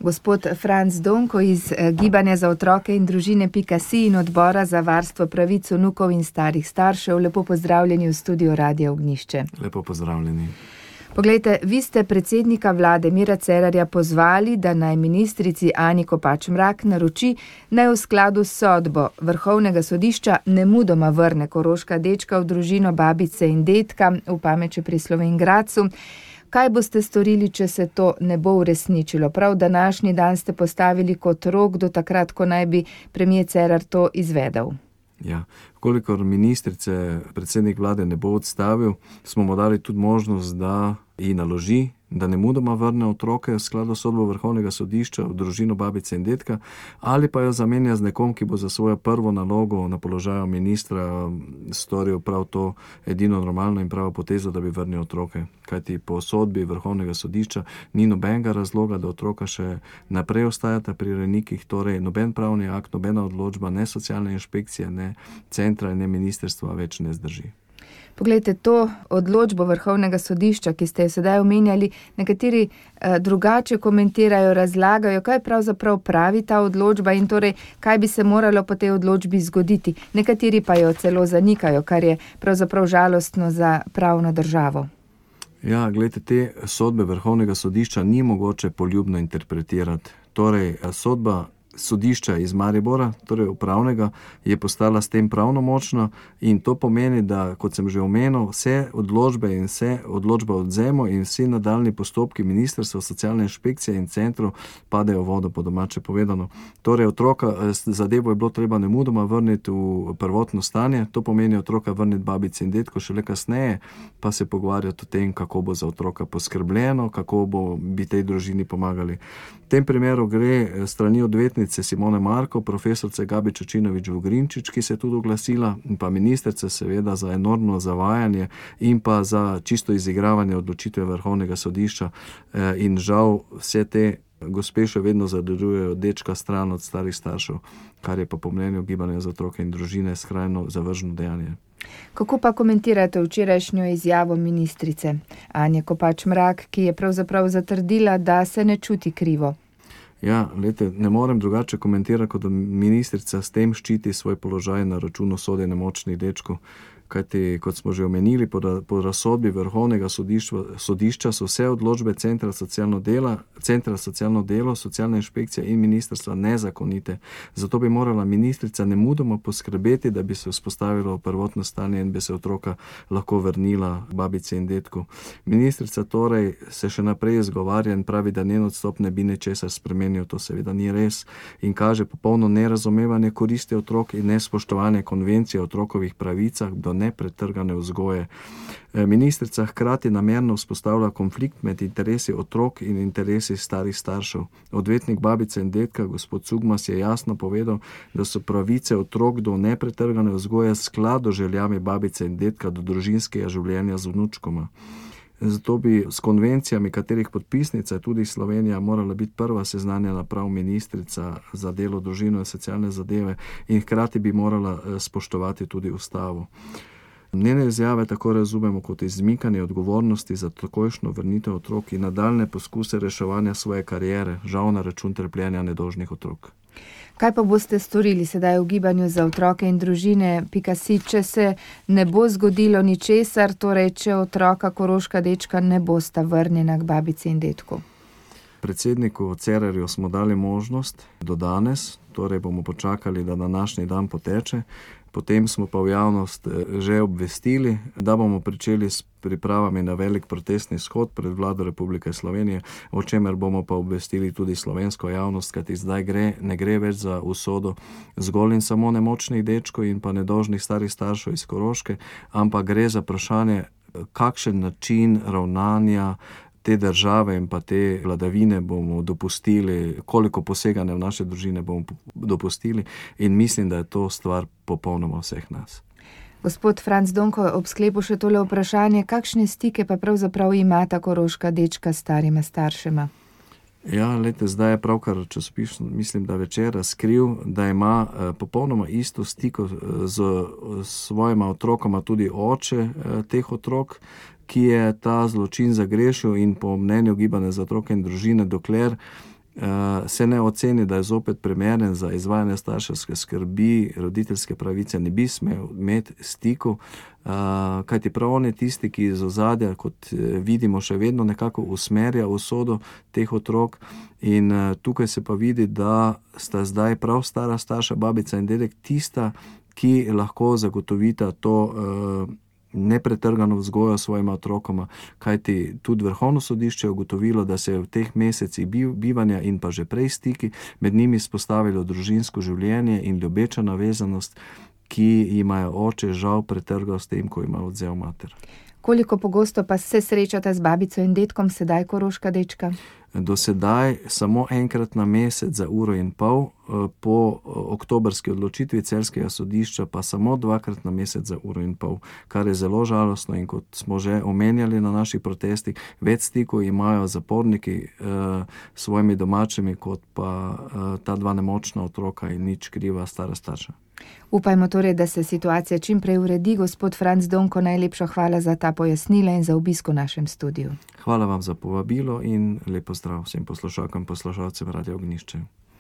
Gospod Franc Donko iz Gibanja za otroke in družine.si in Odbora za varstvo pravic vnukov in starih staršev, lepo pozdravljeni v studiu Radia Ognjišče. Lepo pozdravljeni. Poglejte, vi ste predsednika vlade Mira Cerarja pozvali, da naj ministrici Anji Kopač Mrak naroči, naj v skladu s sodbo Vrhovnega sodišča nemudoma vrne koroška dečka v družino babice in dedka v Pameče pri Slovenj Gradcu. Kaj boste storili, če se to ne bo uresničilo? Prav današnji dan ste postavili kot rok do takrat, ko naj bi premier Cerar to izvedel. Ja, kolikor ministrice predsednik vlade ne bo odstavil, smo mu dali tudi možnost, da ji naloži, da nemudoma vrne otroke v skladu s sodbo Vrhovnega sodišča v družino babice in dedka, ali pa jo zamenja z nekom, ki bo za svojo prvo nalogo na položaju ministra storil prav to edino normalno in pravo potezo, da bi vrnil otroke. Kajti po sodbi Vrhovnega sodišča ni nobenega razloga, da otroka še naprej ostajata pri rejnikih, torej noben pravni akt, nobena odločba, ne socialne inšpekcije, ne centra in ne ministrstva več ne zdrži. Poglejte, to odločbo Vrhovnega sodišča, ki ste jo sedaj omenjali, nekateri drugače komentirajo, razlagajo, kaj pravzaprav pravi ta odločba in torej, kaj bi se moralo po tej odločbi zgoditi. Nekateri pa jo celo zanikajo, kar je pravzaprav žalostno za pravno državo. Ja, gledajte, te sodbe Vrhovnega sodišča ni mogoče poljubno interpretirati. Torej, sodba sodišča iz Maribora, torej upravnega, je postala s tem pravnomočna in to pomeni, da, kot sem že omenil, vse odločbe in vse odločbe o odvzemu in vsi nadaljnji postopki ministrstva, socialne inšpekcije in centrov padejo v vodo, po domače povedano. Torej, otroka zadevo je bilo treba nemudoma vrniti v prvotno stanje, to pomeni otroka vrniti babici in dedku, šele kasneje pa se pogovarjati o tem, kako bo za otroka poskrbljeno, kako bi tej družini pomagali. V tem primeru gre strani odvetnice Simone Marko, profesorice Gabi Čačinović-Vogrinčič, ki se je tudi oglasila, in pa ministrice seveda za enormno zavajanje in pa za čisto izigravanje odločitve Vrhovnega sodišča. In žal vse te gospe še vedno zadržujejo dečka stran od starih staršev, kar je pa po mnenju Gibanja za otroke in družine skrajno zavržno dejanje. Kako pa komentirate včerajšnjo izjavo ministrice Anje Kopač Mrak, ki je pravzaprav zatrdila, da se ne čuti krivo? Ja, lete, ne morem drugače komentirati, kot da ministrica s tem ščiti svoj položaj na račun usode nemočnih dečkov. Kajti, kot smo že omenili, po razsodbi Vrhovnega sodišča so vse odločbe Centra socialno delo, socialna inšpekcija in ministrstva nezakonite. Zato bi morala ministrica nemudoma poskrbeti, da bi se vzpostavilo prvotno stanje in bi se otroka lahko vrnila babici in dedku. Ministrica torej se še naprej izgovarja in pravi, da njen odstop ne bi ničesar spremenil. To seveda ni res in kaže popolno nerazumevanje koristi otrok in nespoštovanje konvencije o otrokovih pravicah do nepretrgane vzgoje. Ministrica hkrati namerno vzpostavlja konflikt med interesi otrok in interesi starih staršev. Odvetnik babice in dedka, gospod Cugmas, je jasno povedal, da so pravice otrok do nepretrgane vzgoje skladu z željami babice in dedka do družinskega življenja z vnučkoma. Zato bi s konvencijami, katerih podpisnica je tudi Slovenija, morala biti prva seznanjena prav ministrica za delo, družino in socialne zadeve in hkrati bi morala spoštovati tudi ustavo. Njene izjave tako razumemo kot izmikanje odgovornosti za takojšnjo vrnitev otrok in nadaljne poskuse reševanja svoje kariere, žal na račun trpljenja nedolžnih otrok. Kaj pa boste storili sedaj v Gibanju za otroke in družine.si, če se ne bo zgodilo ničesar, torej če otroka koroška dečka ne bosta vrnjena k babici in dedku? Predsedniku Cerarju smo dali možnost do danes, torej bomo počakali, da današnji dan poteče. Potem smo pa v javnost že obvestili, da bomo pričeli s pripravami na velik protestni shod pred vlado Republike Slovenije, o čemer bomo pa obvestili tudi slovensko javnost, kajti zdaj ne gre več za usodo zgolj in samo nemočnih dečkov in pa nedolžnih starih staršev iz Koroške, ampak gre za vprašanje, kakšen način ravnanja te države in pa te vladavine bomo dopustili, koliko poseganja v naše družine bomo dopustili in mislim, da je to stvar popolnoma vseh nas. Gospod Franc Donko, ob sklepu še tole vprašanje, kakšne stike pa pravzaprav imata koroška dečka s starima staršema? Ja, lejte, zdaj je pravkar časopis, mislim, da Večer razkril, da ima popolnoma isto stiko z svojima otrokoma tudi oče teh otrok, ki je ta zločin zagrešil in po mnenju Gibanja za otroke in družine, dokler se ne oceni, da je zopet primeren za izvajanje starševske skrbi, roditeljske pravice ne bi smel imeti stiku, kajti prav on je tisti, ki iz ozadja, kot vidimo, še vedno nekako usmerja usodo teh otrok, in tukaj se pa vidi, da sta zdaj prav stara starša, babica in dedek, tista, ki lahko zagotovita to nepretrgano vzgojo svojima otrokoma, kajti tudi Vrhovno sodišče je ugotovilo, da se je v teh mesecih bivanja in pa že prej stiki med njimi spostavilo družinsko življenje in ljubeča navezanost, ki jima je oče žal pretrgal s tem, ko ima odvzel mater. Koliko pogosto pa se srečata z babico in dedkom sedaj, Koroška dečka? Do sedaj samo enkrat na mesec za 1,5 ure, po oktobrski odločitvi celjskega sodišča pa samo 2krat na mesec za 1,5 ure, kar je zelo žalostno, in kot smo že omenjali na naših protestih, več stikov imajo zaporniki s svojimi domačimi, kot pa ta dva nemočna otroka in nič kriva stara starša. Upajmo torej, da se situacija čim prej uredi. Gospod Franc Donko, najlepša hvala za ta pojasnila in za obisk v našem studiu. Hvala vam za povabilo in lep pozdrav vsem poslušalkam in poslušalcem Radia Ognjišče.